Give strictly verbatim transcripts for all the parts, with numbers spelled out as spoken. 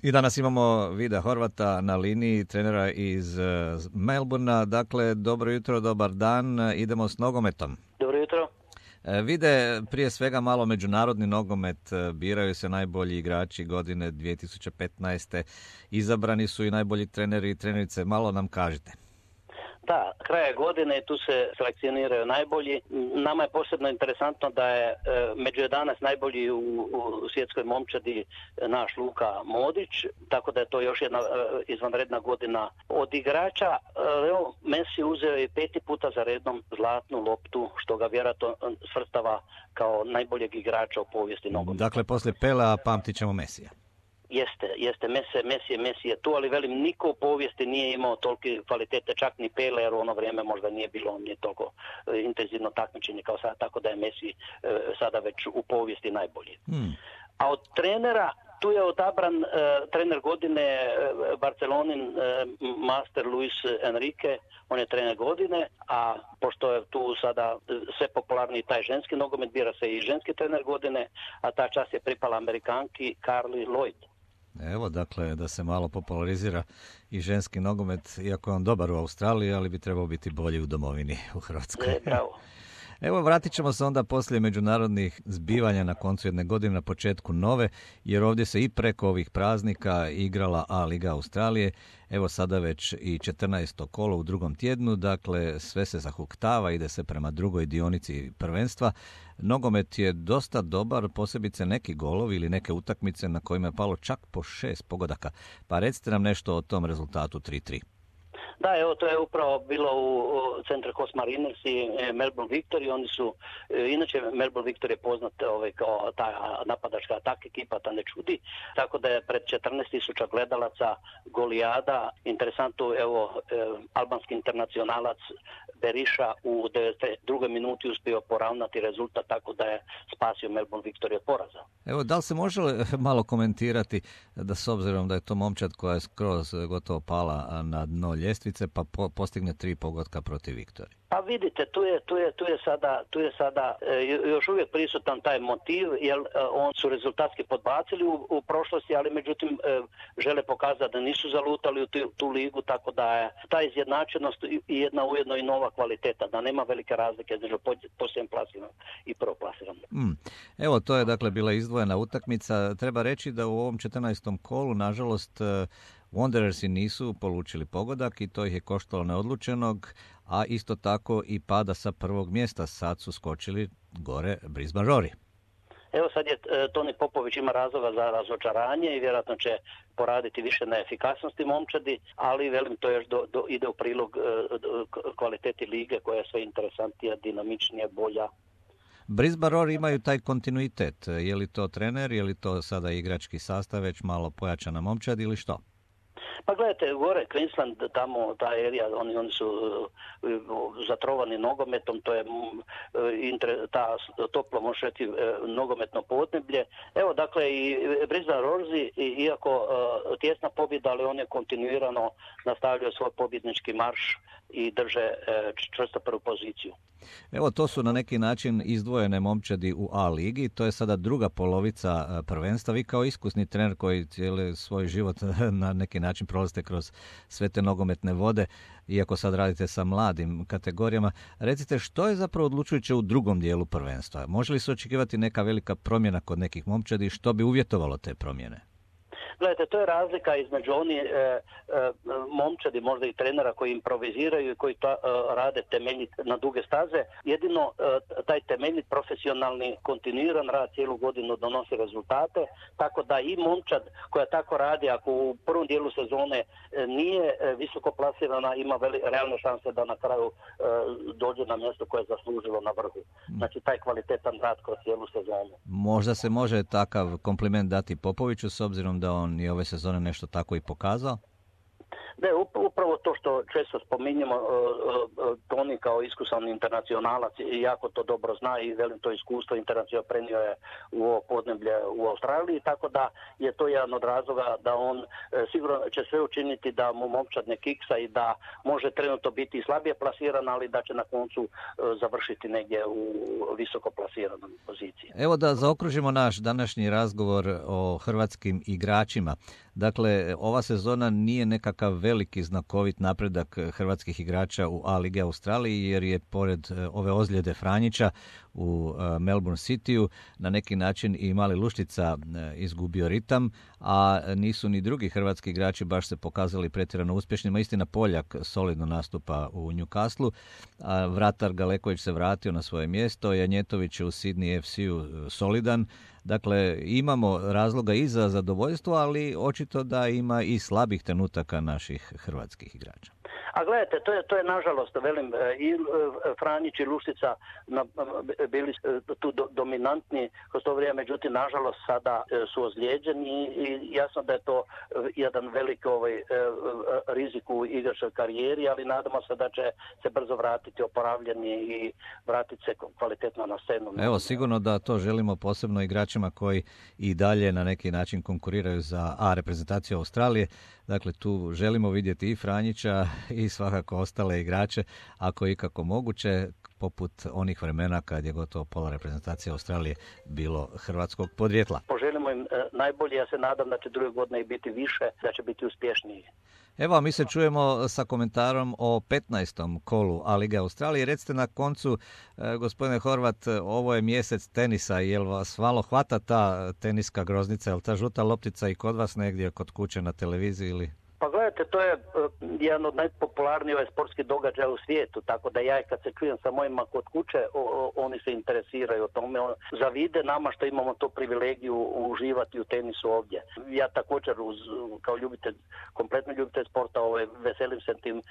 I danas imamo Vida Horvata na liniji, trenera iz Melbournea. Dakle, dobro jutro, dobar dan. Idemo s nogometom. Dobro jutro. Vide, prije svega malo međunarodni nogomet, biraju se najbolji igrači godine dvije tisuće petnaeste. Izabrani su i najbolji treneri i trenerice. Malo nam kažite. Da, kraja godine tu se selekcioniraju najbolji. Nama je posebno interesantno da je e, među jedanaest najbolji u, u svjetskoj momčadi naš Luka Modrić, tako da je to još jedna e, izvanredna godina od igrača. E, evo, Messi uzeo i peti puta za redom zlatnu loptu, što ga vjerojatno svrstava kao najboljeg igrača u povijesti nogometa. Dakle, poslije Pelea pamtit ćemo Messija. Jeste, jeste, Messi, Messi, Messi je tu, ali velim, niko u povijesti nije imao tolike kvalitete, čak ni Pele, jer u ono vrijeme možda nije bilo nije toliko e, intenzivno takmičenje kao sada, tako da je Messi e, sada već u povijesti najbolji. Hmm. A od trenera, tu je odabran e, trener godine e, Barcelonin e, master Luis Enrique, on je trener godine, a pošto je tu sada sve popularniji taj ženski nogomet, bira se i ženski trener godine, a ta čast je pripala Amerikanki Carli Lloyd. Evo, dakle, da se malo popularizira i ženski nogomet, iako je on dobar u Australiji, ali bi trebao biti bolji u domovini, u Hrvatskoj. E, bravo. Evo, vratit ćemo se onda poslije međunarodnih zbivanja na koncu jedne godine, na početku nove, jer ovdje se i preko ovih praznika igrala A Liga Australije. Evo sada već i četrnaesto kolo u drugom tjednu, dakle sve se zahuktava, ide se prema drugoj dionici prvenstva. Nogomet je dosta dobar, posebice neki golovi ili neke utakmice na kojima je palo čak po šest pogodaka. Pa recite nam nešto o tom rezultatu tri tri. Da, evo, to je upravo bilo u Centre Coast Mariners i Melbourne Victory. Oni su, inače Melbourne Victory je poznat ovaj, kao ta napadačka atak ekipa, ta ne čudi. Tako da je pred četrnaest tisuća gledalaca golijada. Interesantno, evo, albanski internacionalac Beriša u devedeset drugoj minuti uspio poravnati rezultat, tako da je spasio Melbourne Victory od poraza. Evo, da li se može malo komentirati da s obzirom da je to momčad koja je skroz gotovo pala na dno ljestvice, pa po, postigne tri pogotka protiv Viktorije? Pa vidite, tu je, tu je, tu je sada, tu je sada e, još uvijek prisutan taj motiv, jer e, on su rezultatski podbacili u, u prošlosti, ali međutim e, žele pokazati da nisu zalutali u tu, tu ligu, tako da je ta izjednačenost i jedna ujedno i nova kvaliteta, da nema velike razlike između posljednjeg plasiranog i prvoplasiranog. Mm. Evo, to je dakle bila izdvojena utakmica. Treba reći da u ovom četrnaestom kolu, nažalost, Wanderersi nisu polučili pogodak i to ih je koštalo neodlučenog, a isto tako i pada sa prvog mjesta. Sad su skočili gore Brisbane Roar. Evo sad je e, Toni Popović ima razloga za razočaranje i vjerojatno će poraditi više na efikasnosti momčadi, ali velim to još do, do, ide u prilog e, do, kvaliteti lige koja je sve interesantnija, dinamičnija, bolja. Brisbane Roar imaju taj kontinuitet. Je li to trener, je li to sada igrački sastav, već malo pojačana momčad ili što? Pa gledajte, gore Queensland, tamo ta erija, oni, oni su uh, zatrovani nogometom, to je uh, inter, ta toplo mošeti uh, nogometno podneblje. Evo, dakle, i Brisbane Roarsi, iako uh, tjesna pobjeda, ali on je kontinuirano nastavljao svoj pobjednički marš i drže uh, čvrsto prvu poziciju. Evo, to su na neki način izdvojene momčadi u A ligi, to je sada druga polovica prvenstva. Vi kao iskusni trener koji cijeli svoj život na neki način prolazite kroz sve te nogometne vode, iako sad radite sa mladim kategorijama, recite što je zapravo odlučujuće u drugom dijelu prvenstva? Može li se očekivati neka velika promjena kod nekih momčadi i što bi uvjetovalo te promjene? Gledajte, to je razlika između oni e, e, momčadi, možda i trenera koji improviziraju i koji ta, e, rade temeljit na duge staze. Jedino e, taj temeljit profesionalni kontinuiran rad cijelu godinu donosi rezultate, tako da i momčad koja tako radi, ako u prvom dijelu sezone e, nije e, visoko plasirana, ima veli, realne šanse da na kraju e, dođe na mjesto koje je zaslužilo na vrhu. Znači taj kvalitetan rad kroz cijelu sezonu. Možda se može takav kompliment dati Popoviću s obzirom da on i ove sezone nešto tako i pokazao? Da je upravo to što često spominjemo, Toni kao iskusan internacionalac jako to dobro zna i velim to iskustvo internacionalno prenio je u ovo podneblje u Australiji, tako da je to jedan od razloga da on sigurno će sve učiniti da mu momčad ne kiksa i da može trenutno biti slabije plasiran, ali da će na koncu završiti negdje u visoko plasiranom poziciji. Evo da zaokružimo naš današnji razgovor o hrvatskim igračima. Dakle, ova sezona nije nekakav veliki znakovit napredak hrvatskih igrača u A Ligi Australiji, jer je pored ove ozljede Franjića u Melbourne Cityu na neki način i Mali Luštica izgubio ritam, a nisu ni drugi hrvatski igrači baš se pokazali pretjerano uspješnima. Istina, Poljak solidno nastupa u Newcastleu, a vratar Galeković se vratio na svoje mjesto, Janjetović je u Sydney F C-u solidan. Dakle, imamo razloga i za zadovoljstvo, ali očito da ima i slabih trenutaka naših hrvatskih igrača. A gledajte, to je, to je nažalost, velim, i Franjić i Luštica bili tu do, dominantni kroz to vrijeme, međutim, nažalost, sada su ozlijeđeni i jasno da je to jedan velik ovaj, rizik u igračkoj karijeri, ali nadamo se da će se brzo vratiti oporavljeni i vratiti se kvalitetno na scenu. Evo, sigurno da to želimo posebno igračima koji i dalje na neki način konkuriraju za A reprezentaciju Australije. Dakle, tu želimo vidjeti i Franjića i svakako ostale igrače, ako je ikako moguće, poput onih vremena kad je gotovo pola reprezentacije Australije bilo hrvatskog podrijetla. Poželimo im najbolje, ja se nadam da će druge godine biti više, da će biti uspješniji. Evo, mi se čujemo sa komentarom o petnaestom kolu A Lige Australije. Recite na koncu, gospodine Horvat, ovo je mjesec tenisa, jel vas malo hvata ta teniska groznica, jel ta žuta loptica i kod vas negdje kod kuće na televiziji ili... Pa gledajte, to je uh, jedan od najpopularnijih ovaj sportskih događaja u svijetu, tako da ja kad se čujem sa mojima kod kuće, o, o, oni se interesiraju o tome, on, zavide nama što imamo tu privilegiju uživati u tenisu ovdje. Ja također uz, kao ljubitelj, kompletno ljubitelj sporta, ovaj, veselim se tim uh,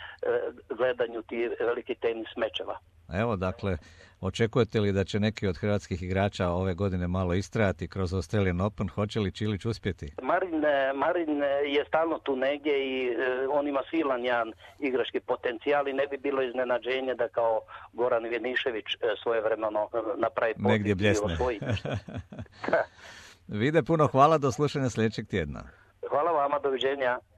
gledanju tih velikih tenis mečeva. Evo, dakle, očekujete li da će neki od hrvatskih igrača ove godine malo istrajati kroz Australian Open? Hoće li Čilić uspjeti? Marin, Marin je stalno tu negdje i e, on ima silan jedan igrački potencijal i ne bi bilo iznenađenje da kao Goran Vjenišević e, svojevremeno napravi negdje bljesne. Vide, puno hvala, do slušanja sljedećeg tjedna. Hvala vama, doviđenja.